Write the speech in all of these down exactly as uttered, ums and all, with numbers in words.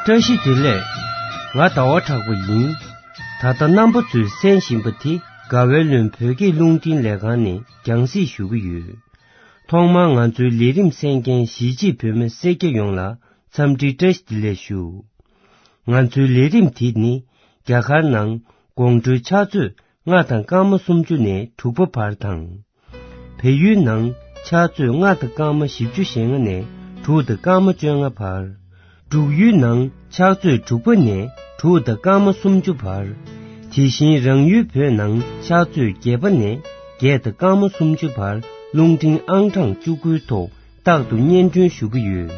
བཀྲ་ཤིས་བདེ་ལེགས། ང་ཟླ་བ་གྲགས་པ་ཡིན། ད་ལྟ་རྣམ་པ་ཚོས་གསན་བཞིན་པ་དེ་དགའ་བའི་ལུང་བོད་སྐད་རླུང་འཕྲིན་ལས་ཁང་ནས་རྒྱང་སྲིང་ཞུ་གི་ཡོད། ཐོག་མར་ང་ཚོའི་ལས་རིམ་གསན་མཁན་གཞིས་བྱེས་བོད་མི་སེར་སྐྱ་ཡོངས་ལ་འཚམས་འདྲི་བཀྲ་ཤིས་བདེ་ལེགས་ཞུ། ང་ཚོའི་ལས་རིམ་དེ་ནི་རྒྱ་གར་ནང་དགོང་དྲོའི་ཕྱག་ཚོད་ལྔ་དང་སྐར་མ་སུམ་ཅུ་ནས་དྲུག་པ་བར་དང་། བལ་ཡུལ་ནང་ཕྱག་ཚོད་ལྔ་དང་སྐར་མ་བཞི་བཅུ་ཞེ་ལྔ་ནས་དྲུག་དང་སྐར་མ་བཅོ་ལྔ་བར། འབྲུག་ཡུལ་ནང་ཕྱག་ཚོད་དྲུག་པ་ནས་དྲུག་དང་སྐར་མ་སུམ་ཅུ་བར། དེ་བཞིན་རང་ཡུལ་བོད་ནང་ཕྱག་ཚོད་བརྒྱད་པ་ནས་བརྒྱད་དང་སྐར་མ་སུམ་ཅུ་བར་རླུང་འཕྲིན་ཨང་གྲངས་བཅུ་དགུའི་ཐོག་རྟག་ཏུ་སྙན་སྒྲོན་ཞུ་གི་ཡོད།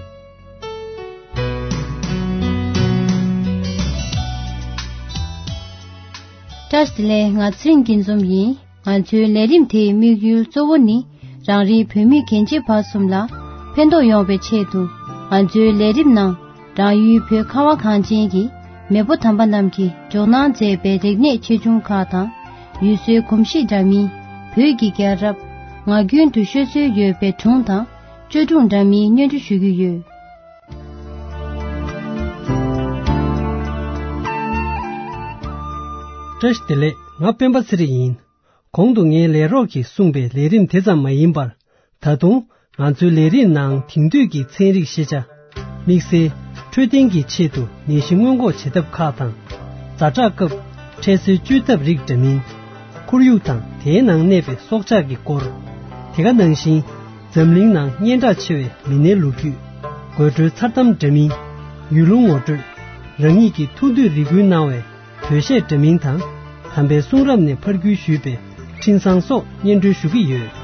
བཀྲ་ཤིས་བདེ་ལེགས། ང་ཚེ་རིང་སྐྱིད་འཛོམས་ཡིན། ང་ཚོའི་ལས་རིམ་དེའི་དམིགས་ཡུལ་གཙོ་བོ་ནི་རང་རེའི་བོད་མི་རྒན་བྱིས་བར་གསུམ་ལ་ཕན་ཐོགས་ཡོང་བའི་ཆེད་དུ། ང་ཚོའི་ལས་རིམ་ནང་རང་ཡུལ་བོད་ཁ་བ་གངས་ཅན་གྱི་མེས་པོ་དམ་པ་རྣམས་ཀྱིས་འཇོག་གནང་མཛད་པའི་རིག་གནས་ཆེ་ཆུང་ཁག་དང་། ཡུལ་སྲོལ་གོམས་གཤིས་འདྲ་མིན། བོད་ཀྱི་རྒྱལ་རབས། ངག་རྒྱུན་དུ་ཤོད་སྲོལ་ཡོད་པའི་སྒྲུང་དང་བཅོས་སྒྲུང་འདྲ་མིན་སྙན་སྒྲོན་ཞུ་གི་ཡོད། བཀྲ་ཤིས་བདེ་ལེགས། ང་སྤེན་པ་ཚེ་རིང་ཡིན། གོང་དུ་ངའི་ལས་རོགས་ཀྱིས་གསུངས་པའི་ལས་རིམ་དེ་ཙམ་མ་ཡིན་པར། ད་དུང་ང་ཚོའི་ལས་རིམ་ནང་དེང་དུས་ཀྱི་ཚན་རིག་ཤེས་བྱ། དམིགས་བསལ་འཕྲོད་བསྟེན་གྱི་ཆེད་དུ་ནད་གཞི་སྔོན་འགོག་བྱེད་ཐབས་ཁག་དང་། ཛ་དྲག་སྐབས་འཕྲལ་སེལ་བཅོས་ཐབས་རིགས་འདྲ་མིན། ཁོར་ཡུག་དང་དེའི་ནང་གནས་པའི་སྲོག་ཆགས་ཀྱི་སྐོར། དེ་ག་ནང་བཞིན་འཛམ་གླིང་ནང་སྙན་གྲགས་ཆེ་བའི་མི་སྣའི་ལོ་རྒྱུས། དགོད་བྲོའི་མཚར་གཏམ་འདྲ་མིན། ཡུལ་ལུང་ངོ་སྤྲོད། རང་ཉིད་ཀྱི་ཐུགས་འདོད་རེ་སྐུལ་གནང་བའི་བོད་གཞས་འདྲ་མིན་དང་། དམ་པའི་གསུང་རབ་ནས་ཕར་བརྒྱུད་ཞུས་པའི་འཕྲིན་བཟང་སོགས་སྙན་སྒྲོན་ཞུ་གི་ཡོད།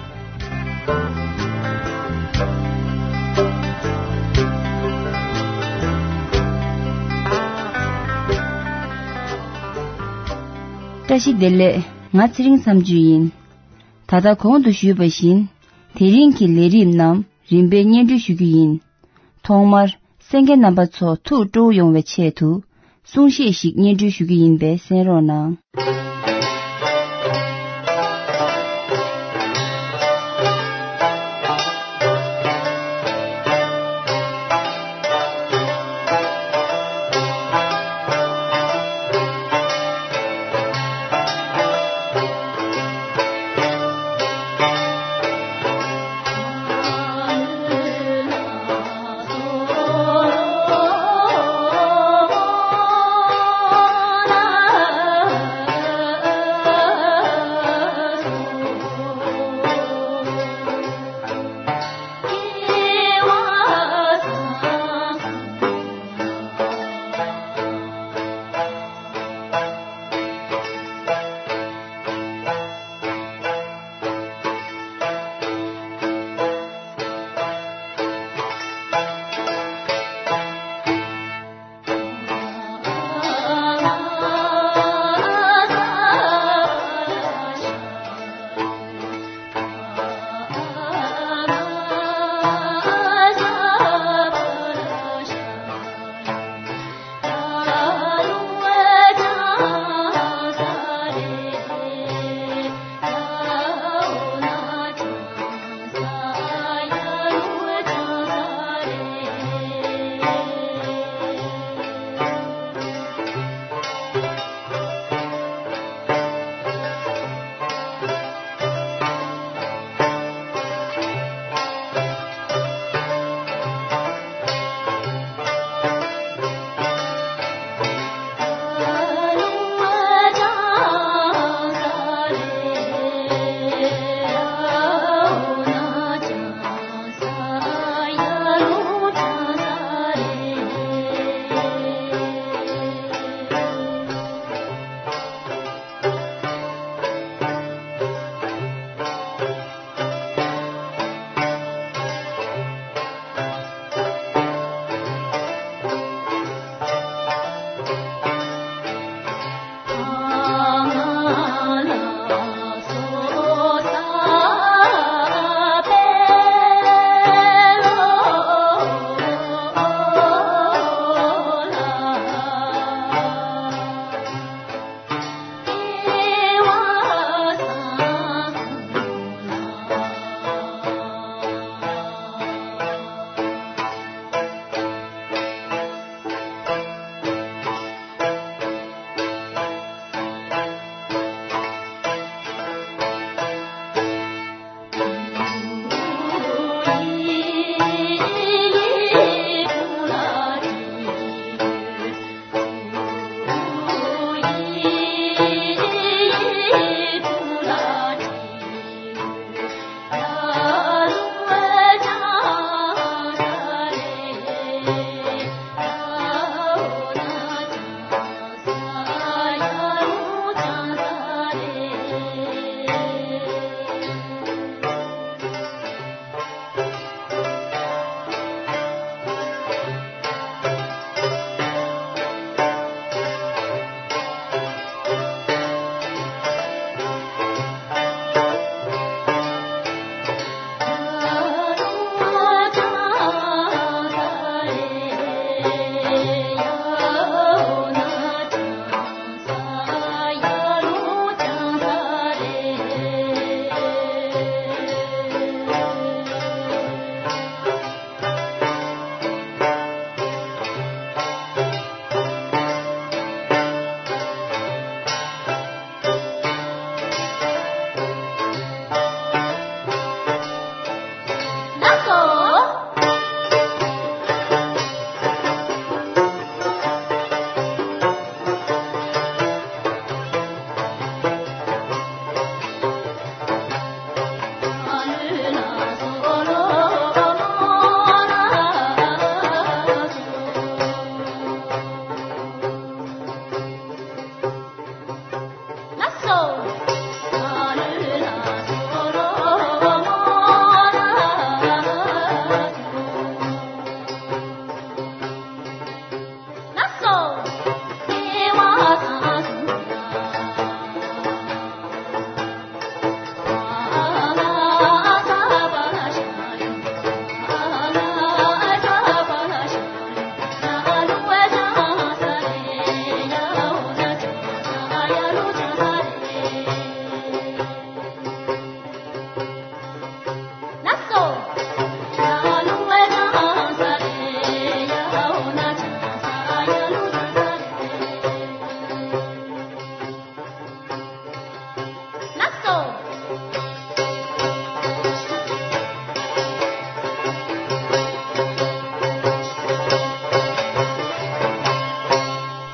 བཀྲ་ཤིས་བདེ་ལེགས། ང་ཚེ་རིང་མཚམས་གཅོད་ཡིན། ད་ལྟ་གོང་དུ་ཞུས་པ་བཞིན། དེ་རིང་གི་ལས་རིམ་རྣམས་རིམ་པས་སྙན་སྒྲོན་ཞུ་རྒྱུ་ཡིན། ཐོག་མར་གསན་མཁན་རྣམ་པ་ཚོ་ཐུགས་སྤྲོ་བོ་ཡོང་བའི་ཆེད་དུ་གསུང་བཤད་ཞིག་སྙན་སྒྲོན་ཞུ་རྒྱུ་ཡིན་པས་གསན་རོགས་གནང་།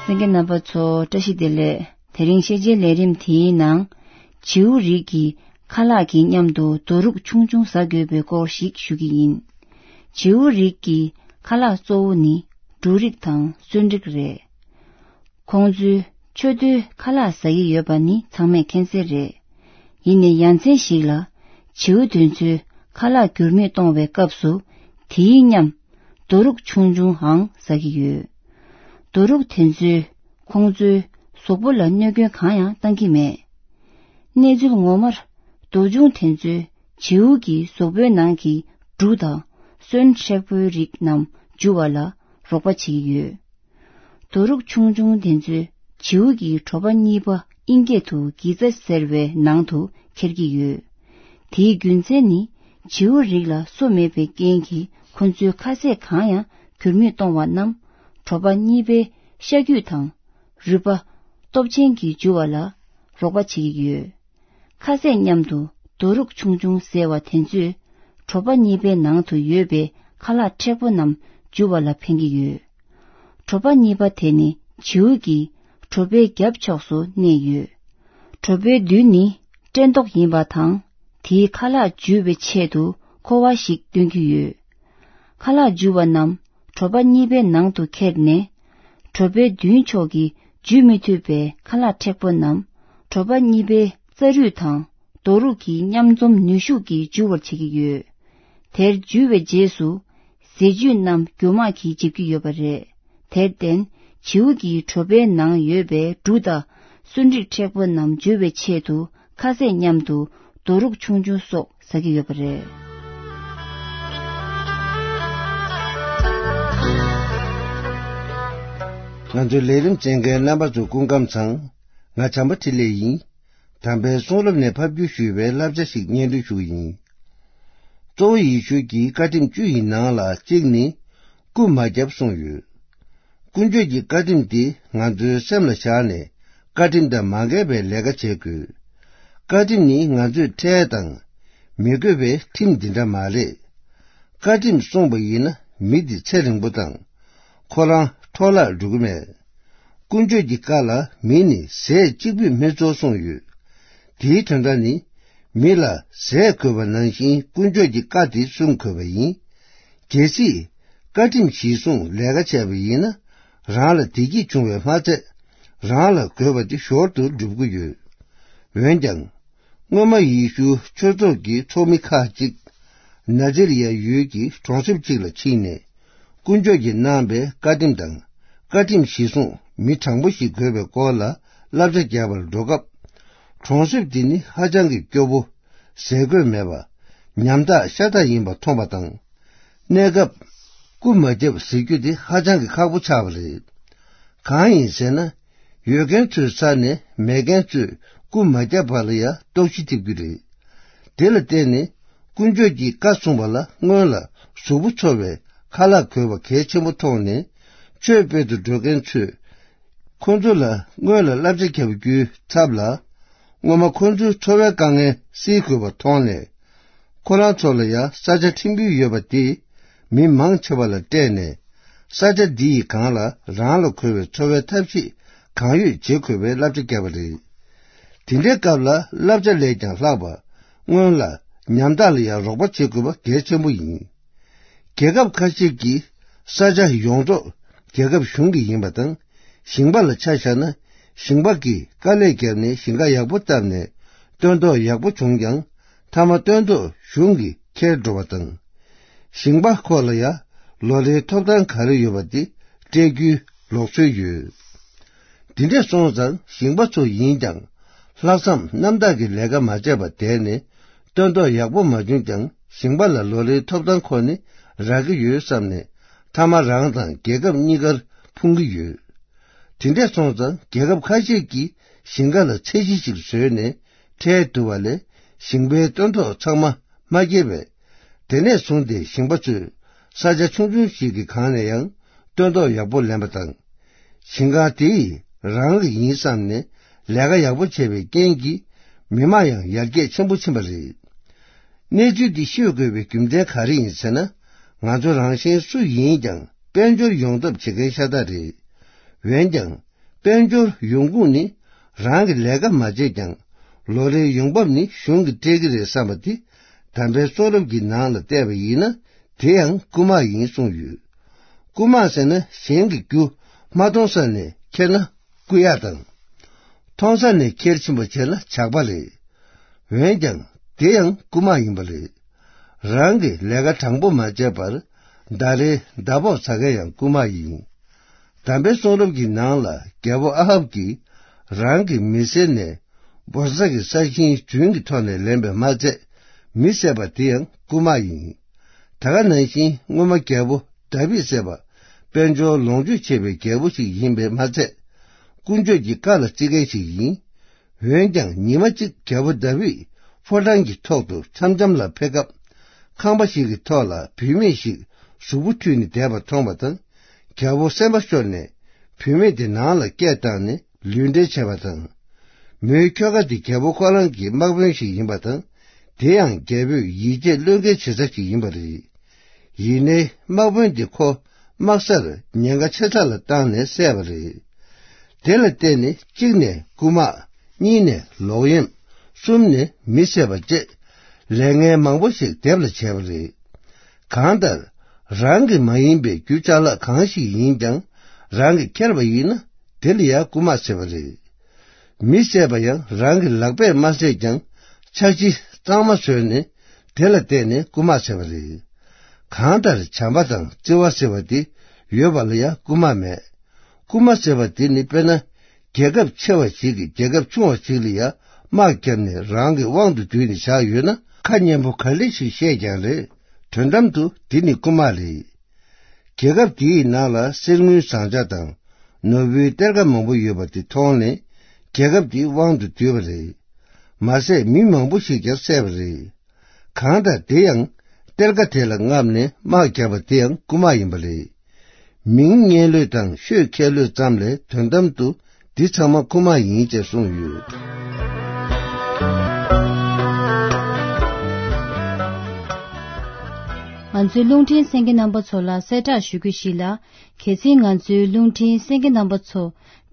གསན་མཁན་རྣམ་པ་ཚོ་བཀྲ་ཤིས་བདེ་ལེགས། དེ་རིང་ཤེས་བྱའི་ལས་རིམ་དེའི་ནང་། བྱིའུ་རིགས་ཀྱི་ཁ་ལག་གི་མཉམ་དུ་རྡོ་རུག་ཆུང་ཆུང་ཟ་དགོས་པའི་སྐོར་ཞིག་ཞུ་གི་ཡིན། བྱིའུ་རིགས་ཀྱི་ཁ་ལག་གཙོ་བོ་ནི་འབྲུ་རིགས་དང་སོན་རིགས་རེད། ཁོང་ཚོས་མཆུ་ཏོའི་ཁ་ལག་ཟ་ཡི་ཡོད་པ་ནི་ཚང་མས་མཁྱེན་གསལ་རེད། ཡིན་ནའི་ཡ་མཚན་ཞིག་ལ། བྱིའུ་དེ་ཚོས་ཁ་ལག་འགྱུར་མེད་གཏོང་བའི་སྐབས་སུ། དེའི་མཉམ། རྡོ་རུག་ཆུང་ཆུང་འང་ཟ་གི་ཡོད། རྡོ་རུག་དེ་ཚོས་ཁོང་ཚོའི་གཟུགས་པོ་ལ་གནོད་སྐྱོན་གང་ཡང་བཏང་གི་མེད། གནས་ཚུལ་ངོ་མར། རྡོ་ཆུང་དེ་ཚོས་བྱིའུ་གི་གཟུགས་པོའི་ནང་གི་འབྲུ་དང་སོན་མཁྲེགས་པོའི་རིགས་རྣམས་འཇུ་བ་ལ་རོགས་པ་བྱེད་ཀྱི་ཡོད། རྡོ་རུག་ཆུང་ཆུང་དེ་ཚོས་བྱིའུ་གི་གྲོད་པ་གཉིས་པ་ཨིན་སྐད་དུ་གི་ཙ་ཟེར་བའི་ནང་དུ་འཁྱེར་གྱི་ཡོད། དེའི་རྒྱུ་མཚན་ནི་བྱིའུ་རིགས་ལ་སོ་མེད་པའི་རྐྱེན་གྱིས་ཁོ་ཚོའི་ཁ་ཟས་གང་ཡང་འགྱུར་མེད་གཏོང་བ་རྣམས་གྲོད་པ་གཉིས་པའི་ཤ་རྒྱུས་དང་རུས་པ་སྟོབས་ཆེན་གྱིས་འཇུ་བ་ལ་རོགས་པ་བྱེད་ཀྱི་ཡོད། ཁ་ཟས་མཉམ་དུ་རྡོ་རུག་ཆུང་ཆུང་ཟས་པ་དེ་ཚོས་གྲོད་པ་གཉིས་པའི་ནང་དུ་ཡོད་པའི་ཁ་ལག་མཁྲེགས་པོ་རྣམས་འཇུ་བ་ལ་ཕན་གྱི་ཡོད། གྲོད་པ་གཉིས་པ་དེ་ནི་བྱིའུ་གི་གྲོད་པའི་རྒྱབ་ཕྱོགས་སུ་གནས་ཡོད། གྲོད་པའི་མདུན་ནི་བཀྲེས་ལྟོགས་ཡིན་པ་དང་། དེའི་ཁ་ལག་འཇུ་བའི་ཆེད་དུ་ཁོ་བ་ཞིག་སྟོན་གྱི་ཡོད། ཁ་ལག་འཇུ་བ་རྣམས་གྲོད་པ་གཉིས་པའི་ནང་དུ་ཁྱེར་ནས། གྲོད་པའི་མདུན་ཕྱོགས་ཀྱི་འཇུ་མི་ཐུབ་པའི་ཁ་ལག་མཁྲེགས་པོ་རྣམས་གྲོད་པ་གཉིས་པའི་རྩ་རུས་དང་རྡོ་རུག་གི་མཉམ་འཛོམས་ནུས་ཤུགས་ཀྱིས་འཇུ་བར་བྱེད་ཀྱི་ཡོད། དེར་འཇུ་བའི་རྗེས་སུ་ཟས་བཅུད་རྣམས་རྒྱུ་མ་གིས་འཇིབ་ཀྱི་ཡོད་པ་རེད། དེར་བརྟེན་བྱིའུ་གི་གྲོད་པའི་ནང་ཡོད་པའི་འབྲུ་དང་སོན་རིགས་མཁྲེགས་པོ་རྣམས་འཇུ་བའི་ཆེད་དུ་ཁ་ཟས་མཉམ་དུ་རྡོ་རུག་ཆུང་ཆུང་སོགས་ཟ་གི་ཡོད་པ་རེད། ང་ཚོའི་ལས་རིམ་གསན་མཁན་རྣམ་པ་ཚོ་སྐུ་ཁམས་བཟང་། ང་བྱམས་པ་འཕྲིན་ལས་ཡིན། དམ་པའི་གསུང་རབ་ནས་ཕབ་བསྒྱུར་ཞུས་པའི་བསླབ་བྱ་ཞིག་སྙན་སྒྲོན་ཞུ་གི་ཡིན། གཙོ་བོ་ཡེ་ཤུ་གིས་བཀའ་ཁྲིམས་བཅུ་ཡི་ནང་ལ་གཅིག་ནི། རྐུ་མ་རྒྱབ་གསུངས་ཡོད། དཀོན་མཆོག་གི་བཀའ་ཁྲིམས་དེ་ང་ཚོའི་སེམས་ལ་བཞག་ནས་བཀའ་ཁྲིམས་དང་མ་འགལ་བའི་ལས་ཀ་བྱེད་དགོས། བཀའ་ཁྲིམས་ནི་ང་ཚོས་ཁྲལ་དང་། མི་དགོས་པའི་ཁྲིམས་འདི་འདྲ་མ་རེད། བཀའ་ཁྲིམས་སྲུང་བ་ཡིན་ན་མི་འདི་ཚེ་རིང་པོ་དང་། ཁོ་རང་འཕྲོ་བརླག་འགྲོ་གི་མེད། དཀོན་མཆོག་གི་བཀའ་ལ་མི་ནི་ཟས་གཅིག་པུས་མི་གཙོ་གསུངས་ཡོད། དེའི་དོན་དག་ནི། མི་ལ་ཟས་དགོས་པ་ནང་བཞིན་དཀོན་མཆོག་གི་བཀའ་དེ་སྲུང་དགོས་པ་ཡིན། གལ་སྲིད། བཀའ་ཁྲིམས་གཞིར་བཟུང་ལས་ཀ་བྱས་པ་ཡིན་ན། རང་ལ་བདེ་སྐྱིད་འབྱུང་བས་མ་ཚད། རང་ལ་དགོས་པ་དེ་ཞོར་དུ་འགྲུབ་ཀྱི་ཡོད། འོན་ཀྱང་། སྔོན་མ་ཡེ་ཤུ་ཆོས་ཚོགས་ཀྱི་ཚོགས་མི་ཁག་ཅིག་ན་ཛི་རི་ཡ་ཡུལ་གྱི་གྲོང་གསེབ་ཅིག་ལ་ཕྱིན་ནས། དཀོན་མཆོག་གིས་གནང་བའི་བཀའ་ཁྲིམས་དང་། བཀའ་ཁྲིམས་གཞིར་བཟུང་མི་དྲང་པོ་ཞིག་དགོས་པའི་སྐོར་ལ་བསླབ་བྱ་རྒྱག་པར་འགྲོ་སྐབས། གྲོང་གསེབ་འདི་ནི་ཧ་ཅང་གི་སྐྱོ་པོ། ཟས་གོས་མེད་པ། ཉམ་ཐག་ཤ་སྟག་ཡིན་པ་མཐོང་བ་དང་། གནས་སྐབས། རྐུ་མ་རྒྱབ་ཟེར་རྒྱུ་དེ་ཧ་ཅང་གི་ཁག་པོ་ཆགས་པ་རེད། གང་ཡིན་ཟེར་ན། ཡོད་མཁན་ཚོའི་ས་ནས་མེད་མཁན་ཚོས་རྐུ་མ་རྒྱབ་པ་ལ་ཡང་རྟོག་ཞིབ་ཐེབས་རྒྱུ་རེད། དེ་ལ་བརྟེན་ནས་དཀོན་མཆོག་གི་བཀའ་སྲུང་བ་ལ་སྔོན་ལ་གཟུགས་པོ་འཚོ་བའི་ཁ་ལག་དགོས་པ་གལ་ཆེན་པོ་མཐོང་ནས། ཆོས་སྤེལ་དུ་འགྲོ་མཁན་ཚོས་ཁོ་ཚོ་ལ་སྔོན་ལ་བསླབ་བྱ་བརྒྱབ་རྒྱུའི་ཚབ་ལ། སྔོན་མ་ཁོ་ཚོའི་འཚོ་བའི་དཀའ་ངལ་སེལ་དགོས་པ་མཐོང་ནས། ཁོ་རང་ཚོ་ལ་ཡང་ས་ཆ་ཕྲན་བུ་ཡོད་པ་དེས་མི་མང་ཆེ་བ་ལ་སྤྲད་ནས། ས་ཆ་འདི་ཡི་སྒང་ལ་རང་ལ་མཁོ་བའི་འཚོ་བའི་ཐབས་ཤེས་གང་ཡོད་བྱེད་དགོས་པའི་བསླབ་བྱ་བརྒྱབ་པ་རེད། དེ་འདྲའི་སྐབས་ལ་བསླབ་བྱ་ལས་ཀྱང་ལྷག་པ། སྔོན་ལ་ཉམ་ཐག་ལ་ཡང་རོགས་པ་བྱེད་དགོས་པ་གལ་ཆེན་པོ་ཡིན། རྒྱལ་ཁབ་ཁ་ཤས་ཀྱི་ས་ཆ་ཡོངས་རྫོགས་རྒྱལ་ཁབ་གཞུང་གི་ཡིན་པ་དང་། ཞིང་པ་ལ་ཆ་བཞག་ན། ཞིང་པ་གིས་དཀའ་ལས་བརྒྱབ་ནས་ཞིང་ཁ་ཡག་པོ་བཏབ་ནས་སྟོན་ཐོག་ཡག་པོ་བྱུང་ཀྱང་། མཐའ་མ་སྟོན་ཐོག་གཞུང་གིས་ཁྱེར་འགྲོ་བ་དང་། ཞིང་པ་ཁོ་ལ་ཡང་ལོ་ལེའི་ཐོབ་ཐང་ག་རེ་ཡོད་པ་དེ་སྤྲད་རྒྱུའི་ལུགས་སྲོལ་ཡོད། དེ་འདྲས་སོང་ཙང་ཞིང་པ་ཚོ་ཡིན་ཀྱང་། ལྷག་བསམ་རྣམ་དག་གིས་ལས་ཀ་མ་བྱས་པར་བསྡད་ནས། སྟོན་ཐོག་ཡག་པོ་མ་བྱུང་ཀྱང་། ཞིང་པ་ལ་ལོ་ལེའི་ཐོབ་ཐང་ཁོ་ནི་རག་གི་ཡོད་བསམ་ནས། མཐའ་མ་རང་དང་རྒྱལ་ཁབ་གཉིས་ཀར་ཕུང་གི་ཡོད། དེ་འདྲས་སོང་ཙང་རྒྱལ་ཁབ་ཁ་ཤས་ཀྱིས་ཞིང་ཁ་ལ་ཚད་གཞི་ཞིག་བཟོས་ནས་ཁྲལ་བསྡུ་བ་ལས། ཞིང་པའི་སྟོན་ཐོག་ཚང་མ་མ་སྐྱེལ་བས། དེ་ནས་བཟུང་སྟེ་ཞིང་པ་ཚོས་ས་ཆ་ཆུང་ཆུང་ཞིག་གི་སྒང་ནས་ཡང་སྟོན་ཐོག་ཡག་པོ་ལེན་པ་དང་། ཞིང་ཁ་དེ་ཡི་རང་གི་ཡིན་བསམ་ནས་ལས་ཀ་ཡག་པོ་བྱས་པའི་རྐྱེན་གྱིས། མི་དམངས་ཡང་ཡར་རྒྱས་ཆེན་པོ་ཕྱིན་པ་རེད། གནས་ཚུལ་འདི་ཤོད་དགོས་པའི་རྒྱུ་མཚན་ག་རེ་ཡིན་ཟེར་ན། ང་ཚོ་རང་གཞན་སུ་ཡིན་ཀྱང་དཔལ་འབྱོར་ཡོང་ཐབས་བྱེད་མཁན་ཤ་སྟག་རེད། འོན་ཀྱང་ དཔལ་འབྱོར་ཡོང་ཁུངས་ནི་རང་གི་ལས་ཀ་མ་བྱས་ཀྱང་ལོ་རེའི་ཡོང་འབབ་ནི་གཞུང་གིས་སྤྲད་ཀྱི་རེད་བསམ་པ་དེ་དམ་པའི་གསུང་རབ་ཀྱི་ནང་ལ་བལྟས་པ་ཡིན་ན་དེ་ཡང་རྐུ་མ་ཡིན་གསུངས་ཡོད། རྐུ་མ་ཟེར་ན་གཞན་གྱི་རྒྱུ་མ་མཐོང་ས་ནས་ཁྱེར་ན་རྐུ་ཡག་དང་། མཐོང་ས་ནས་ཁྱེར་ཕྱིན་པ་བྱས་ན་ཇག་པ་རེད། འོན་ཀྱང་དེ་ཡང་རྐུ་མ་ཡིན་པ་རེད། རང་གི་ལས་ཀ་དྲང་པོ་མ་བྱས་པར་ཟླ་རེའི་ཟླ་ཕོགས་ཟ་མཁན་ཡང་རྐུ་མ་ཡིན། དམ་པའི་གསུང་རབ་ཀྱི་ནང་ལ་རྒྱལ་པོ་ཨ་ཧབ་ཀྱིས་རང་གི་མི་སེར་ནས་བོར་ས་གི་ས་ཞིང་རྫུན་གྱི་ཐོག་ནས་ལེན་པས་མ་ཚད་མི་བསད་པ་དེ་ཡང་རྐུ་མ་ཡིན། ད་ག་ནང་བཞིན་སྔོན་མ་རྒྱལ་པོ་དཱ་བིད་བསད་པ་དཔལ་འབྱོར་ལོངས་སྤྱོད་ཆེ་བའི་རྒྱལ་པོ་ཞིག་ཡིན་པས་མ་ཚད་དཀོན་མཆོག་གི་བཀའ་ལ་བརྩི་མཁན་ཞིག་ཡིན། འོན་ཀྱང་ཉི་མ་གཅིག་རྒྱལ་པོ་དཱ་བིད་ཕོ་བྲང་གི་ཐོག་ཏུ་འཆམ་འཆམ་ལ་ཕེབས་སྐབས་ཁང་པ་ཞིག་གི་ཐོག་ལ་བུད་མེད་ཞིག་གཟུགས་པོ་འཁྲུད་ནས་བསྡད་པ་མཐོང་བ་དང་རྒྱལ་པོ་སེམས་པ་ཤོར་ནས་བུད་མེད་དེ་ནང་ལ་སྐད་བཏང་ནས་ལུས་འབྲེལ་བྱས་པ་དང་། མོའི་ཁྱོ་ག་དེ་རྒྱལ་པོ་ཁོ་རང་གི་དམག་དཔོན་ཞིག་ཡིན་པ་དང་། དེ་ཡང་རྒྱལ་པོས་ཡིད་ཆེས་བློས་འགེལ་བྱེད་ས་ཞིག་ཡིན་པ་རེད། ཡིན་ནའི་དམག་དཔོན་དེ་ཁོ་དམག་སར་ཉེན་ཁ་ཆེ་ས་ལ་བཏང་ནས་བསད་པ་རེད། དེ་ལ་བརྟེན་ནས་གཅིག་ནས་རྐུ་མ། གཉིས་ནས་ལོག་གཡེམ། གསུམ་ནས་མི་བསད་པ་བཅས་ལས་ངན་མང་པོ་ཞིག་སྡེབ་ལ་བྱས་པ་རེད། གང་ལྟར་རང་གི་མ་ཡིན་པའི་རྒྱུ་ཅ་ལག་གང་ཞིག་ཡིན་ཀྱང་རང་གིས་ཁྱེར་བ་ཡིན་ན་དེ་ལ་ཡང་རྐུ་མ་ཟེར་བ་རེད། མི་བསད་པ་ཡང་རང་གི་ལག་པས་མ་བསད་ཀྱང་འཆར་གཞི་གཙང་མ་བཟོས་ནས་དེ་ལ་བརྟེན་ནས་རྐུ་མ་ཟེར་བ་རེད། གང་ལྟར་བྱམས་པ་དང་བརྩེ་བ་ཟེར་བ་དེ་ཡོད་པ་ལ་ཡང་རྐུ་མ་མེད། རྐུ་མ་ཟེར་བ་དེ་ནི་དཔེར་ན་རྒྱལ་ཁབ་ཆེ་བ་ཞིག་གིས་རྒྱལ་ཁབ་ཆུང་བ་ཞིག་ལ་ཡང་དམག་བརྒྱབ་ནས་རང་གི་དབང་དུ་བསྡུས་ནས་བཞག་ཡོད་ན་ཁ་སྙན་པོ་ག་ལེ་ཞིག་བཤད་ཀྱང་རེད། དོན་དམ་དུ་དེ་ནི་རྐུ་མ་རེད། རྒྱལ་ཁབ་དེའི་ནང་ལ་གསེར་དངུལ་ཟངས་ལྕགས་དང་ནོར་བུའི་གཏེར་ཁ་མང་པོ་ཡོད་པ་དེ་མཐོང་ནས་རྒྱལ་ཁབ་དེའི་དབང་དུ་བསྡུས་པ་རེད། མ་ཟད་མི་མང་པོ་ཞིག་ཀྱང་བསད་པ་རེད། གང་ལྟར་དེ་ཡང་གཏེར་ཁ་དེ་ལ་རྔམ་ནས་དམག་བརྒྱབ་པ་དེ་ཡང་རྐུ་མ་ཡིན་པ་རེད། མིང་སྙན་ལོས་དང་ཤོད་ཁྱད་ལོས་ཙམ་ལས་དོན་དམ་དུ་འདི་ཚང་མ་རྐུ་མ་ཡིན་ཅེས་གསུངས་ཡོད། ང་ཚོའི་རླུང་འཕྲིན་གསན་མཁན་རྣམ་པ་ཚོ་ལ་གསལ་བསྒྲགས་ཞུ་རྒྱུ་ཞིག་ལ། གལ་སྲིད་ང་ཚོའི་རླུང་འཕྲིན་གསན་མཁན་རྣམ་པ་ཚོ་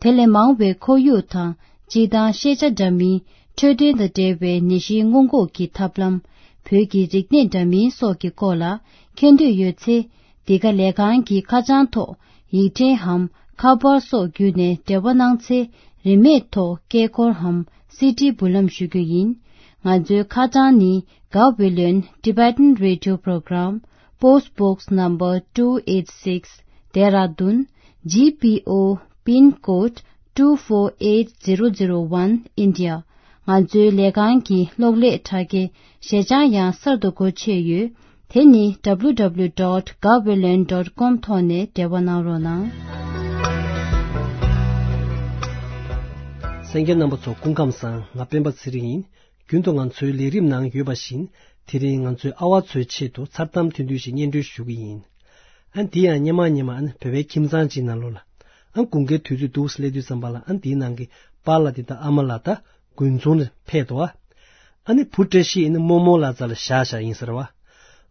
དེ་ལས་མང་བའི་ཁོར་ཡུག་དང་སྤྱིར་བཏང་ཤེས་བྱ་འདྲ་མིན། འཕྲོད་བསྟེན་དང་འབྲེལ་བའི་ནད་གཞིའི་སྔོན་འགོག་གི་ཐབས་ལམ། བོད་ཀྱི་རིག་གནས་འདྲ་མིན་སོགས་ཀྱི་སྐོར་ལ་མཁྱེན་འདོད་ཡོད་ཚེ། འདི་ག་ལས་ཁང་གི་ཁ་བྱང་ཐོག་ཡིག་ཕྲེང་འམ་ཁ་པར་སོགས་བརྒྱུད་ནས་འབྲེལ་བ་གནང་ཚེ། རིན་མེད་ཐོག་སྐད་འཁོར་འམ་སི་ཌི་འབུལ་ལམ་ཞུ་རྒྱུ་ཡིན། ང་ཚོའི་ཁ་བྱང་ནི། Gaweylon Tibetan Radio Program, Post Box Number two eight six, Dehradun, G P O, Pin Code two four eight zero zero one, India. ང་ཚོའི་ལས་ཁང་གི་གློག་ཀླད་དྲ་རྒྱའི་ཞལ་བྱང་ཡང་གསར་དུ་སྒོ་ཕྱེ་ཡོད། དེ་ནི་W W W dot gaweylon dot com ཐོག་ནས་འབྲེལ་བ་གནང་རོགས་གནང་། གསན་མཁན་རྣམ་པ་ཚོ་སྐུ་ཁམས་བཟང་། ང་སྤེན་པ་ཚེ་རིང་ཡིན། རྒྱུན་དུ་ང་ཚོའི་ལས་རིམ་ནང་ཡོད་པ་བཞིན། དེ་རིང་ང་ཚོའི་ཨ་བ་ཚོའི་ཆེད་དུ་མཚར་གཏམ་ཐུང་ཐུང་ཞིག་སྙན་སྒྲོན་ཞུ་གི་ཡིན། ཨ་འདི་ཡང་སྙེ་མ་སྙེ་མ་ཨ་ནི་བོད་པའི་ཁྱིམ་ཚང་གཅིག་ནང་ལོགས་ལ། ཨ་དགུན་ཁའི་དུས་ཚོད་འདུག་སླེབས་དུས་ཙམ་པ་ལ་ཨ་འདིའི་ནང་གི་པཱ་ལགས་དེ་དང་ཨ་མ་ལགས་ད་དགུན་ཚོང་ལ་ཕེབས་འདུག་ཨ། ཨ་ནི་བུ་བཀྲ་ཤིས་ཨ་ནི་རྨོ་མོ་ལགས་རྩ་ལ་བཞག་བཞག་ཡིན་ཟེར་བ། ཨ་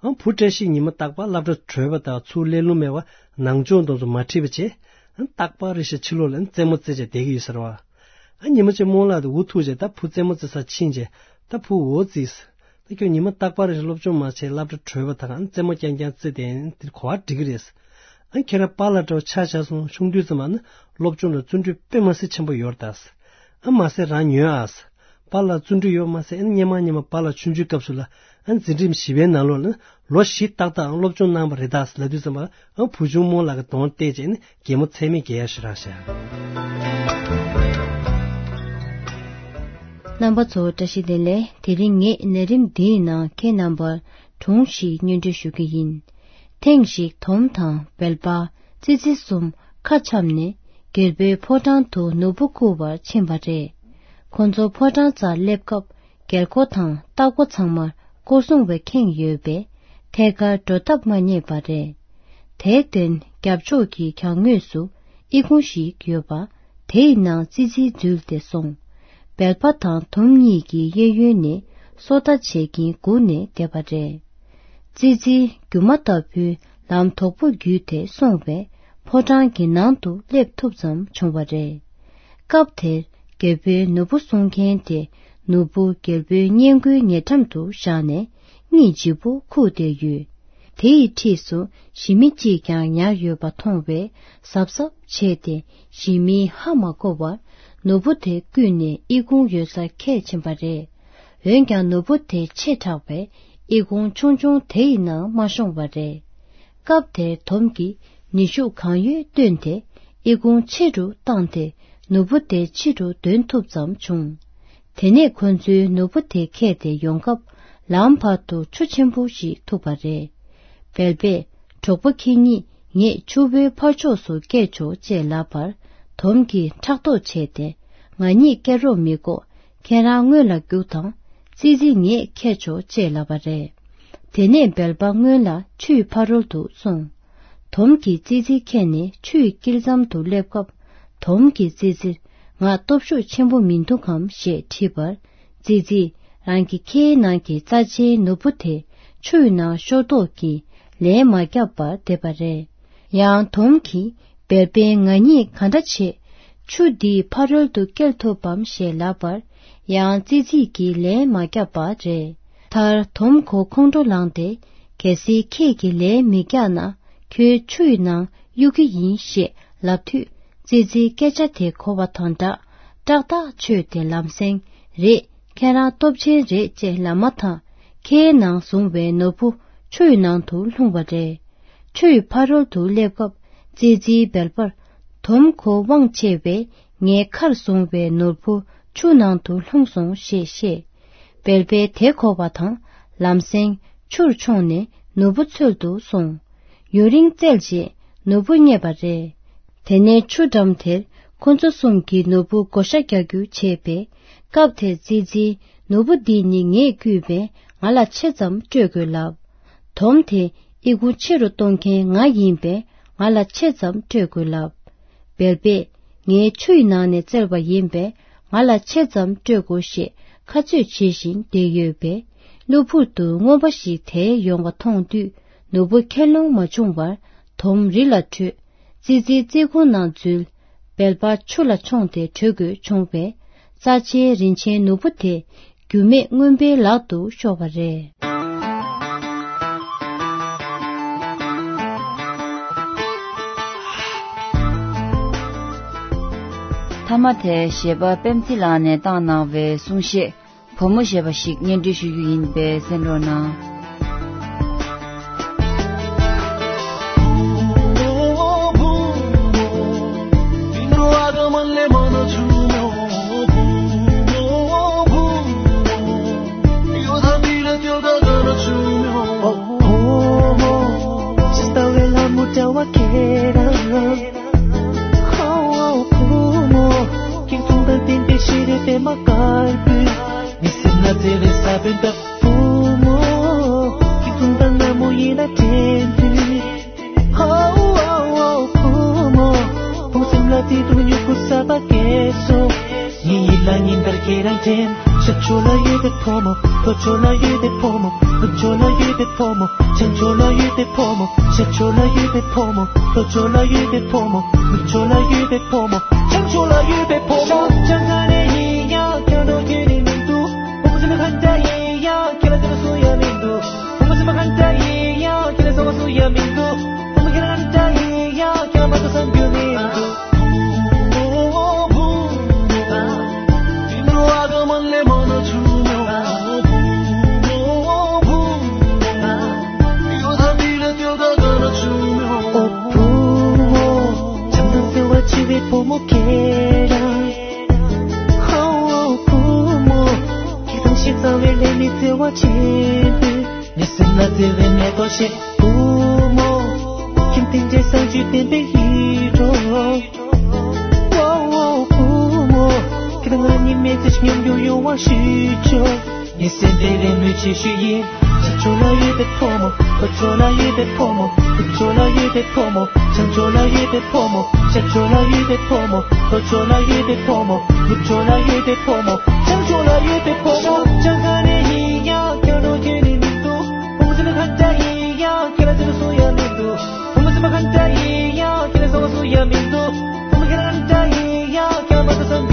བུ་བཀྲ་ཤིས་ཉི་མ་རྟག་པར་སློབ་གྲྭ་གྲོལ་བ་དང་ཚུར་སླེབས་ལུགས་མེད་པ་ནང་ཆོས་མདོ་ཚོ་མ་ཁྲིད་པ་བྱས། ཨ་རྟག་པར་རེ་ཞིག་ཕྱི་ལོགས་ལ་ཨ་རྩེད་མོ་རྩེ་བྱས་བསྡད་ཀྱི་ཡོད་ཟེར་བ། ཨ་ཉི་མ་གཅིག་རྨོ་ལགས་དེ་འུ་ཐུག་བྱས་ད་བུ་རྩེད་མོ་རྩེ་སར་ཕྱིན་བྱས། ད་བུ་འོ་ཙིས། ད་ཁྱོད་ཉི་མ་རྟག་པར་རེ་ཞིག་སློབ་སྦྱོང་མ་བྱས་སློབ་གྲྭ་གྲོལ་བ་དང་ཨ་རྩེད་མོ་རྐྱང་རྐྱང་རྩེ་བསྡད་ཡིན་དེ་གོ་བ་འགྲིག་གི་རེད། ཨ་ཁྱེད་རང་པཱ་ལགས་འདྲ་བོ་ཆ་བཞག་སོང་། ཆུང་དུས་ཙམ་པ་ནི་སློབ་སྦྱོང་ལ་བརྩོན་འགྲུས་དཔེ་མ་སྲིད་ཆེན་པོ་ཡོད་རེད་ད། ཨ་མ་ཟད་རང་ཉོན་ཨ། པཱ་ལགས་བརྩོན་འགྲུས་ཡོད་མ་ཟད་ཨ་ནི་སྙེ་མ་སྙེ་མ་པཱ་ལགས་ཆུང་ཆུང་སྐབས་སུ་ལ་ཨ་འཛིན་རིམ་བཞི་པའི་ནང་ལོགས་ལ་ལོ་བཞི་ཏག་ཏག་སློབ་སྦྱོང་གནང་བ་རེད་ད་ལབ་དུས་ཙམ་པ་ཨ་བུ་ཆུང་རྨོ་ལགས་ཀྱི་གདོང་བལྟས་བྱས་ནི་གད་མོ་ཚད་མེད་བགད་ཡ་ཞིག་རག་ཤག་རྣམ་པ་ཚོ་བཀྲ་ཤིས་བདེ་ལེགས། དེ་རིང་ངས་ལས་རིམ་འདིའི་ནང་ཁྱེད་རྣམ་པར་སྒྲུང་ཞིག་སྙན་སྒྲོན་ཞུ་རྒྱུ་ཡིན། ཐེངས་ཤིག་དོམ་དང་བེལ་པ། ཙི་ཙི་གསུམ་ཁ་འཆམ་ནས་རྒྱལ་པོའི་ཕོ་བྲང་དུ་ནོར་བུ་རྐུ་བར་ཕྱིན་པ་རེད། ཁོ་ཚོ་ཕོ་བྲང་རྩར་སླེབས་སྐབས་རྒྱལ་སྒོ་དང་ལྟག་སྒོ་ཚང་མར་སྐོར་སྲུང་བས་ཁེངས་ཡོད་པས་ཐད་ཀར་འགྲོ་ཐབས་མ་རྙེད་པ་རེད། དེར་བརྟེན་རྒྱབ་ཕྱོགས་ཀྱི་གྱང་ངོས་སུ་ཨི་ཁུང་ཞིག་ཡོད་པ། དེའི་ནང་ཙི་ཙི་འཛུལ་ཏེ་སོང་། བེལ་པ་དང་དོམ་གཉིས་ཀྱིས་གཡས་གཡོན་ནས་སོ་ལྟ་བྱེད་ཀྱིན་སྒུག་ནས་བསྡད་པ་རེད། ཙི་ཙི་རྒྱུ་མ་ལྟ་བུའི་ལམ་དོག་པོ་བརྒྱུད་དེ་སོང་བས་ཕོ་བྲང་གི་ནང་དུ་སླེབས་ཐུབ་ཙམ་བྱུང་བ་རེད། སྐབས་དེར་རྒྱལ་པོའི་ནོར་བུ་སྲུང་མཁན་དེ་ནོར་བུ་རྒྱལ་པོའི་སྔས་མགོའི་ཉེ་འགྲམ་དུ་བཞག་ནས་སྙིང་རྗེ་པོ་ཁུག་བསྡད་ཡོད། དེ་ཡི་འཁྲིས་སུ་ཞི་མི་གཅིག་ཀྱང་ཉར་ཡོད་པ་མཐོང་བས་གཟབ་གཟབ་བྱས་ཏེ་ཞི་མིས་ཧ་མ་གོ་བར་ནོར་བུ་དེ་བརྐུས་ནས་ཨི་ཁུང་ཡོད་སར་ཁྱེར་ཕྱིན་པ་རེད། འོན་ཀྱང་ནོར་བུ་དེ་ཆེ་དྲགས་པས་ཨི་ཁུང་ཆུང་ཆུང་དེ་ཡི་ནང་མ་ཤོང་བ་རེད། སྐབས་དེར་དོམ་གྱིས་ནུས་ཤུགས་གང་ཡོད་བཏོན་ཏེ་ཨི་ཁུང་ཆེ་རུ་བཏང་སྟེ་ནོར་བུ་དེ་ཕྱི་རུ་འདོན་ཐུབ་ཙམ་བྱུང་། དེ་ནས་ཁོ་ཚོས་ནོར་བུ་དེ་ཁྱེར་ཏེ་ཡོང་སྐབས་ལམ་བར་དུ་ཆུ་ཆེན་པོ་ཞིག་ཐུག་པ་རེད། བལ་པས་གྲོགས་པོ་ཁྱེད་གཉིས་ངས་ཆུ་བོའི་ཕར་ཕྱོགས་སུ་བསྐྱལ་ཆོག་ཅེས་ལབ་པར་དོམ་གྱིས་ཕྲག་དོག་བྱས་ཏེ་ང་གཉིས་བསྐྱལ་རོགས་མི་དགོས། ཁྱེད་རང་སྔོན་ལ་རྒྱུགས་དང་། ཙི་ཙི་ངས་ཁྱེར་ཆོག་ཅེས་ལབ་པ་རེད། དེ་ནས་བལ་པ་སྔོན་ལ་ཆུའི་ཕ་རོལ་དུ་སོང་། དོམ་གྱིས་ཙི་ཙི་ཁྱེར་ནས་ཆུའི་དཀྱིལ་མཚམས་དུ་སླེབས་སྐབས་དོམ་གྱིས་ཙི་ཙིར་ང་སྟོབས་ཤུགས་ཆེན་པོ་མི་འདུག་གམ་ཞེས་དྲིས་པར་ཙི་ཙིས་རང་གི་ཁའི་ནང་གི་རྩ་ཆེའི་ནོར་བུ་དེ་ཆུའི་ནང་ཤོར་དོགས་ཀྱིས་ལན་མ་བརྒྱབ་པར་བསྡད་པ་རེད། ཡང་དོམ་གྱིས་བལ་པས་ང་གཉིས་ག་འདྲ་བྱས་ཆུ་འདིའི་ཕ་རོལ་དུ་བསྐྱལ་ཐུབ་བམ་ཞེས་ལབ་པར་ཡང་ཙི་ཙིས་ཀྱིས་ལན་མ་བརྒྱབ་པ་རེད། མཐར་དོམ་ཁོ་ཁོང་ཁྲོ་ལངས་ཏེ་གལ་སྲིད་ཁྱེད་ཀྱིས་ལན་མི་བརྒྱབ་ན་ཁྱོད་ཆུ་ཡི་ནང་གཡུག་གི་ཡིན་ཞེས་ལབ་དུས་ཙི་ཙིའི་སྐད་ཆ་དེ་གོ་བ་དང་སྦྲགས་ཏག་ཏག་ཆོས་དེ་ལམ་སེང་རེད། ཁྱེད་རང་སྟོབས་ཆེན་རེད་ཅེས་ལབ་མ་ཐག་ཁའི་ནང་བཟུང་བའི་ནོར་བུ་ཆུ་ཡི་ནང་དུ་ལྷུང་བ་རེད། ཆུ་ཡི་ཕ་རོལ་དུ་སླེབས་སྐབས་ཙི་ཙིའི་བལ་པར་དོམ་ཁོ་དབང་ཆེ་བས་ངའི་ཁར་བཟུང་བའི་ནོར་བུ་ཆུ་ནང་དུ་ལྷུང་སོང་ཞེས་བཤད། བལ་པས་དེ་གོ་བ་དང་ལམ་སེང་ཆུར་མཆོངས་ནས་ནོར་བུ་འཚོལ་དུ་སོང་། ཡུན་རིང་བཙལ་རྗེས་ནོར་བུ་རྙེད་པ་རེད། དེ་ནས་ཆུ་འགྲམ་དེར་ཁོ་ཚོ་གསུམ་གྱིས་ནོར་བུ་བགོ་བཤའ་རྒྱག་རྒྱུ་བྱས་པས། སྐབས་དེར་ཙི་ཙིས་ནོར་བུ་འདི་ནི་ངས་བརྐུས་པས་ང་ལ་ཆེ་ཙམ་སྤྲོད་དགོས་ལབ། དོམ་དེ་ཨི་ཁུང་ཆེ་རུ་གཏོང་མཁན་ང་ཡིན་པས་ང་ལ་ཆེ་ཙམ་སྤྲོད་དགོས་ལབ། བལ་པས་ངའི་ཆུ་ཡི་ནང་ནས་བཙལ་བ་ཡིན་པས་ང་ལ་ཆེ་ཙམ་སྤྲོད་དགོས་ཞེས་ཁ་རྩོད་བྱེད་བཞིན་བསྡད་ཡོད་པས། གློ་བུར་དུ་རྔོན་པ་ཞིག་དེད་ཡོང་བ་མཐོང་དུས་ནོར་བུ་ཁྱེར་ལོང་མ་བྱུང་བར་དོམ་རི་ལ་བྲོས། ཙི་ཙི་རྩེ་ཁུང་ནང་འཛུལ། བལ་པ་ཆུ་ལ་མཆོངས་ཏེ་བྲོས་དགོས་བྱུང་བས། རྩ་ཆེའི་རིན་ཆེན་ནོར་བུ་དེ་རྒྱུས་མེད་རྔོན་པའི་ལག་ཏུ་ཤོར་བ་རེད། མཐའ་མ་དེ་གཞས་པ་པད་མ་ཚེ་ལགས་ནས་བཏང་གནང་བའི་གསུང་བཤད། བུ་མོ་ཞེས་པ་ཞིག་སྙན་སྒྲོན་ཞུ་རྒྱུ་ཡིན་པས་གསན་རོགས་གནང་། ཁྱེད་གསུང་དང་ལྡན་པའི་ཤེས་རིག་པད་མ་དཀར་པོས། མི་སེམས་ལ་བརྩེ་བའི་ས་བོན་ལྟ་བུ་མོ། ཁྱེད་གསུང་དང་ནག་མོ་ཡིད་ལ་དྲན་དུས། ཧའོ་ཧའོ་ཧའོ་བུ་མོ། བུ་སེམས་ལ་བརྩེ་དུང་མྱུ་གུ་གསར་པ་སྐྱེས་སོ། ངའི་ཡིད་ལ་ཉིན་ལྟར་ཁྱེད་རང་དྲན། ཤར་ཕྱོགས་ལ་ཡོད་པའི་ཕོ་མོ། ལྷོ་ཕྱོགས་ལ་ཡོད་པའི་ཕོ་མོ། ནུབ་ཕྱོགས་ལ་ཡོད་པའི་ཕོ་མོ། བྱང་ཕྱོགས་ལ་ཡོད་པའི་ཕོ་མོ། ཤར་ཕྱོགས་ལ་ཡོད་པའི་ཕོ་མོ། ལྷོ་ཕྱོགས་ལ་ཡོད་པའི་ཕོ་མོ། ནུབ་ཕྱོགས་ལ་ཡོད་པའི་ཕོ་མོ། བྱང་ཕྱོགས་ལ་ཡོད་པའི་ཕོ་མོ། ཤར་ཕྱོགས་ནས་ཡིན་ཡང་ཁྱོད་འགྲོ་རྒྱུ་ནི་མི་འདུག་བུ་མོ་ཚོ་ནི་གང་འདྲ་ཡིན་ཡང་ཁྱོད་ལ་དེ་ལ་སུ་ཡང་མི་འདུག་བུ་མོ་ཚོ་ནི་གང་འདྲ་ཡིན་ཡང་ཁྱོད་ལ་སོང་བ་སུ་ཡང་མི་འདུག་བུ་མོ་ཁྱེད་རང་གང་འདྲ་ཡིན་ཡང་ཁྱོད་ལ་མ་གཏོགས་བསམ་རྒྱུ་མི་འདུག་ཨོ་བུ་མོ། བྱམས་དང་བརྩེ་བ་ཆེ་བའི་བུ་མོ་ཁྱེད་རང་། ཧའོ་བུ་མོ། ཁྱེད་དང་ཞེ་སྡང་བའི་ལས་མི་བརྩེ་བ་ཆེན་པོས། ངའི་སེམས་ལ་བརྩེ་བའི་མེ་ཏོག་བཞད། བུ་མོ། ཁྱེད་དེ་འདྲའི་བཟང་སྤྱོད་ལྡན་པའི་ཡིད་འཕྲོག་ཝའོ་ཝའོ་བུ་མོ། ཁྱེད་དང་ང་གཉིས་མི་ཚེ་ཞིག་མཉམ་དུ་ཡོང་བ་ཞུ་ཆོག་ངའི་སེམས་པའི་རེ་སྨོན་ཆེ་ཤོས་ཡིན། ཤར་ཕྱོགས་ལ་ཡོད་པའི་ཕོ་མོ། ལྷོ་ཕྱོགས་ལ་ཡོད་པའི་ཕོ་མོ། ནུབ་ཕྱོགས་ལ་ཡོད་པའི་ཕོ་མོ། བྱང་ཕྱོགས་ལ་ཡོད་པའི་ཕོ་མོ། ཤར་ཕྱོགས་ལ་ཡོད་པའི་ཕོ་མོ། ལྷོ་ཕྱོགས་ལ་ཡོད་པའི་ཕོ་མོ། ནུབ་ཕྱོགས་ལ་ཡོད་པའི་ཕོ་མོ། བྱང་ཕྱོགས་ལ་ཡོད་པའི་ཕོ་མོ། ཤར་ཕྱོགས་ག་ནས་ཡིན་ཡང་ཁྱོད་འགྲོ་རྒྱུ་ནི་མི་འདུག་བུ་མོ་ཚོ་ནི་གང་འདྲ་ཡིན་ཡང་ཁྱོད་ལ་དེ་ལ་སུ་ཡང་མི་འདུག་བུ་མོ་ཚོ་ནི་གང་འདྲ་ཡིན་ཡང་ཁྱོད་ལ་སོང་བ་སུ་ཡང་མི་འདུག་བུ་མོ་ཁྱེད་རང་གང་འདྲ་ཡིན་ཡང་ཁྱོད་ལ་མ་གཏོགས་བསམ་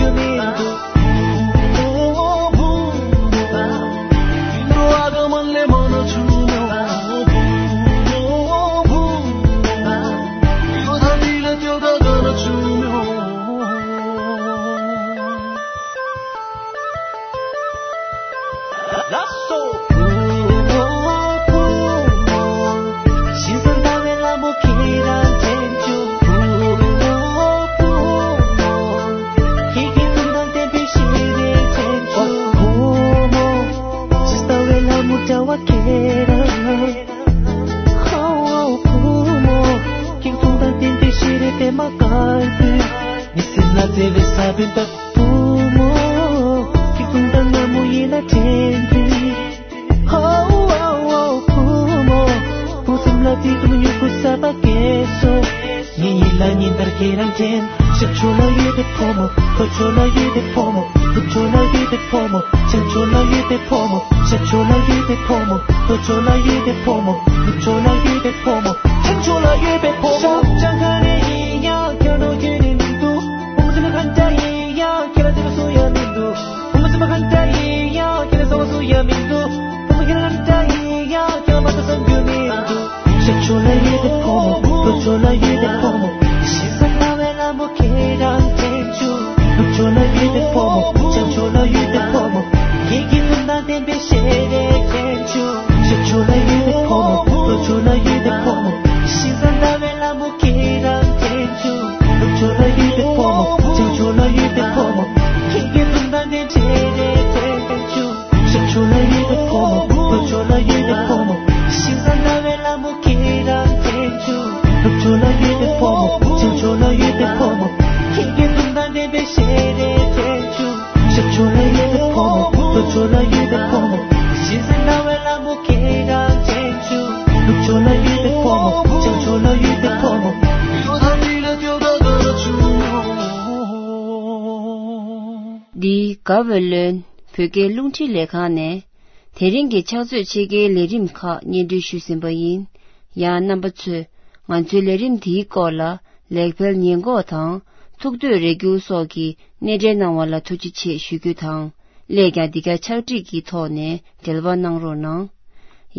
བརྩེ་བའི་ས་བོན་དག་བུ་མོ། སྐྱིད་སྡུག་དང་སྔ་མོ་ཡིད་ལ་དྲན་དུས། ཧོ་ཧོ་ཧོ་བུ་མོ། བུ་གསུམ་ལ་དེ་དུས་མྱུ་གུ་གསར་པ་སྐྱེས་སོ། ངའི་ཡིད་ལ་ཉིན་ལྟར་ཁྱེད་རང་དྲན། ཞབས་ཕྱོགས་ལ་ཡོད་པའི་ཕོ་མོ། ལྷོ་ཕྱོགས་ལ་ཡོད་པའི་ཕོ་མོ། ནུབ་ཕྱོགས་ལ་ཡོད་པའི་ཕོ་མོ། བྱང་ཕྱོགས་ལ་ཡོད་པའི་ཕོ་མོ། ཤར་ཕྱོགས་ལ་ཡོད་པའི་ཕོ་མོ། ལྷོ་ཕྱོགས་ལ་ཡོད་པའི་ཕོ་མོ། ནུབ་ཕྱོགས་ལ་ཡོད་པའི་ཕོ་མོ། བྱང་ཕྱོགས་ལ་ཡོད་པའི་ཕོ་མོ། ཤར་བྱང་ཁ་རེ་ཡིན་ཡང་ཁྱོད་རང་ཁྱོད་རེ་མི་འདུག་བུ་མོ་ཚེ་མ་གང་འདྲ་ཡིན་ཡང་ཁྱེད་ལ་བརྩེ་བ་སུ་ཡང་མི་འདུག་བུ་མོ་ཚེ་མ་གང་འདྲ་ཡིན་ཡང་ཁྱེད་ལ་བཟང་བ་སུ་ཡང་མི་འདུག་བུ་མོ་ཁྱེད་ལ་གང་འདྲ་ཡིན་ཡང་ཁྱེད་ལ་མ་ཐུབ་བསམ་རྒྱུ་མི་འདུག་ཤར་ཕྱོགས་ལ་ཡོད་པའི་ཕོ་མོ། ལྷོ་ཕྱོགས་ལ་ཡོད་པའི་ཕོ་མོ། ཤེས་བཟའ་ཟླ་བའི་ལྷ་མོ་ཁྱེད་རང་དྲན་བྱུང་། ནུབ་ཕྱོགས་ལ་ཡོད་པའི་ཕོ་མོ། བྱང་ཕྱོགས་ལ་ཡོད་པའི་ཕོ་མོ། ཁྱེད་ཀྱི་སེམས་དང་ལྡན་པའི་ཞལ་རས་དྲན་བྱུང་། ཤར་ཕྱོགས་ལ་ཡོད་པའི་ཕོ་མོ། ལྷོ་ཕྱོགས་ལ་ཡོད་པའི་ཕོ་མོ། ཤེས་བཟའ་ཟླ་བའི་ལྷ་མོ་ཁྱེད་རང་དྲན་བྱུང་། ནུབ་ཕྱོགས་ལ་ཡོད་པའི་ཕོ་མོ། བྱང་ཕྱོགས་ལ་ཡོད་པའི་ཕོ་མོ། ཁྱེད་ཀྱི་སེམས་དང་ལྡན་པའི་ཞལ་རས་དྲན་བྱུང་། ཤར་ཕྱོགས་ལ་ཡོད་པའི་ཕོ་མོ། ལྷོ་ཕྱོགས་ལ་ཡོད་པའི་ཕོ་མོ། ཤེས་བཟའ་ཟླ་བའི་ལྷ་མོ་ཁྱེད་རང་དྲན་བྱུང་། ནུབ་ཕྱོགས་ལ་ཡོད་པའི་ཕོ་མོ། བྱང་ཕྱོགས་ལ་ཡོད་པའི་ཕོ་མོ། ཁྱེད་ཀྱི་སེམས་དང་ལྡན་པའི་ཞལ་རས་དྲན་བྱུང་། ཤར་ཕྱོགས་ལ་ཡོད་པའི་ཕོ་མོ། ལྷོ་ཕྱོགས་ལ་ཡོད་པའི་ཕོ་མོ། ཤེས་བཟའ་ཟླ་བའི་ལྷ་མོ་ཁྱེད་རང་དྲན་བྱུང་། ནུབ་ཕྱོགས་ལ་ཡོད་པའི་ཕོ་མོ། བྱང་ཕྱོགས་ལ་ཡོད་པའི་ཕོ་མོ། འདི་དགའ་བའི་ལོན་བོད་སྐད་རླུང་འཕྲིན་ལས་ཁང་ནས། དེ་རིང་གི་ཕྱག་ཚོད་ཕྱེད་ཀའི་ལས་རིམ་ཁག་སྙན་སྒྲོན་ཞུས་ཟིན་པ་ཡིན། ཡང་རྣམ་པ་ཚོས་ང་ཚོའི་ལས་རིམ་འདིའི་སྐོར་ལ་ལེགས་སྤེལ་ཉེས་འགོག་དང་ཐུགས་འདོད་རེ་སྐུལ་སོགས་ཀྱི་སྣེ་འདྲེན་གནང་བ་ལ་ཐུགས་རྗེ་ཆེ་ཞུ་རྒྱུ་དང་། སླད་ཀྱང་འདི་ག་ཕྱག་བྲིས་ཀྱི་ཐོག་ནས་འབྲེལ་བ་གནང་རོགས་གནང་།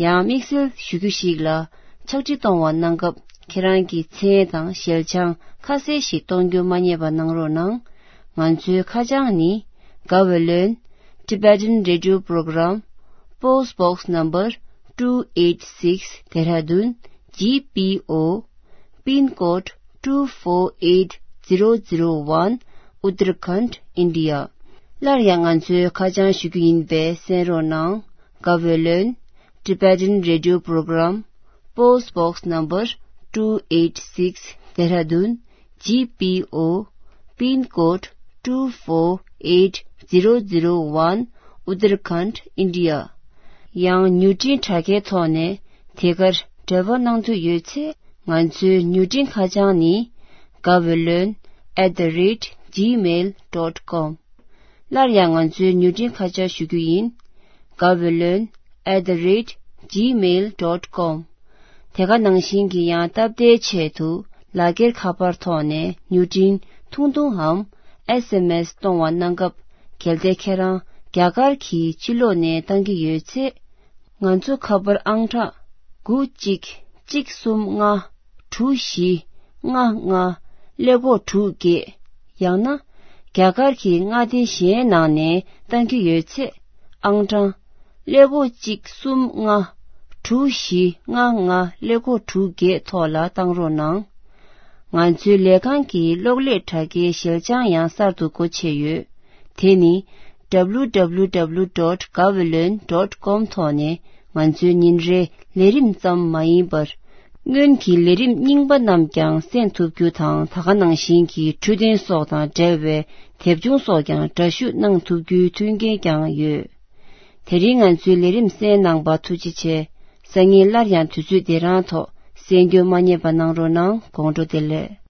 ཡང་དམིགས་བསལ་ཞུ་རྒྱུ་ཞིག་ལ། ཕྱག་བྲིས་གཏོང་བ་གནང་སྐབས་ཁྱེད་རང་གི་མཚན་དང་ཞལ་བྱང་ཁ་གསལ་ཞིག་གཏོང་རྒྱུ་མ་བསྙེལ་བ་གནང་རོགས་གནང་། ང་ཚོའི་ཁ་བྱང་ནི། དགའ་བའི་ལོན། Tibetan Radio Program, Post Box Number two eight six, Dehradun, G P O, Pin Code two four eight zero zero one, Uttarakhand, India. སླར་ཡང་ང་ཚོའི་ཁ་བྱང་ཞུ་རྒྱུ་ཡིན་པས་གསན་རོགས་གནང་། དགའ་བའི་ལོན། Tibetan Radio Program, Post Box Number two eight six, Dehradun, G P O, Pin Code two four eight zero zero one, Uttarakhand, India. ཡང་མྱུར་འཕྲིན་དྲ་རྒྱའི་ཐོག་ནས་དེ་གར་འབྲེལ་བ་གནང་འདོད་ཡོད་ཚེ། ང་ཚོའི་མྱུར་འཕྲིན་ཁ་བྱང་ནི། དགའ་བའི་ལོན་at the rate gmail dot com། སླར་ཡང་ང་ཚོའི་མྱུར་འཕྲིན་ཁ་བྱང་ཞུ་རྒྱུ་ཡིན། དགའ་བའི་ལོན་at the rate gmail dot com། དེ་ག་ནང་བཞིན་གྱི་ཡང་སྟབས་བདེའི་ཆེད་དུ་ལག་འཁྱེར་ཁ་པར་ཐོག་ནས་མྱུར་འཕྲིན་ཐུང་ཐུང་འམ་S M S་གཏོང་བ་གནང་སྐབས། གལ་ཏེ་ཁྱེད་རང་རྒྱ་གར་གྱི་ཕྱི་ལོགས་ནས་བཏང་གི་ཡོད་ཚེ། ང་ཚོ་ཁ་པར་ཨང་གྲངས་དགུ་གཅིག་གཅིག་གསུམ་ལྔ་དྲུག་བཞི་ལྔ་ལྔ་ཀླད་ཀོར་དྲུག་བརྒྱད། ཡང་ན་རྒྱ་གར་གྱི་མངའ་སྡེ་གཞན་ནང་ནས་བཏང་གི་ཡོད་ཚེ། ཨང་གྲངས་ཀླད་ཀོར་གཅིག་གསུམ་ལྔ་དྲུག་བཞི་ལྔ་ལྔ་ཀླད་ཀོར་དྲུག་བརྒྱད་ཐོག་ལ་བཏང་རོགས་གནང་། ང་ཚོའི་ལས་ཁང་གི་གློག་ཀླད་དྲ་རྒྱའི་ཞལ་བྱང་ཡང་གསར་དུ་སྒོ་ཕྱེ་ཡོད། དེ་ནི། W W W dot gaweylon dot com ཐོག་ནས་ང་ཚོའི་ཉིན་རེའི་ལས་རིམ་ཙམ་མ་ཡིན་པར། སྔོན་གྱི་ལས་རིམ་རྙིང་པ་རྣམས་ཀྱང་གསན་ཐུབ་རྒྱུ་དང་། ད་ག་ནང་བཞིན་གྱི་འཕྲོད་བསྟེན་སོགས་དང་འབྲེལ་བའི་དེབ་ཆུང་སོགས་ཀྱང་འདྲ་བཤུས་གནང་ཐུབ་རྒྱུའི་མཐུན་རྐྱེན་ཀྱང་ཡོད། དེ་རིང་ང་ཚོའི་ལས་རིམ་གསན་གནང་པར་ཐུགས་རྗེ་ཆེ། སང་ཉིན་སླར་ཡང་དུས་ཚོད་འདི་རང་ཐོག་གསན་རྒྱུ་མ་བསྙེལ་བ་གནང་རོགས་གནང་། དགོང་དྲོ་བདེ་ལེགས།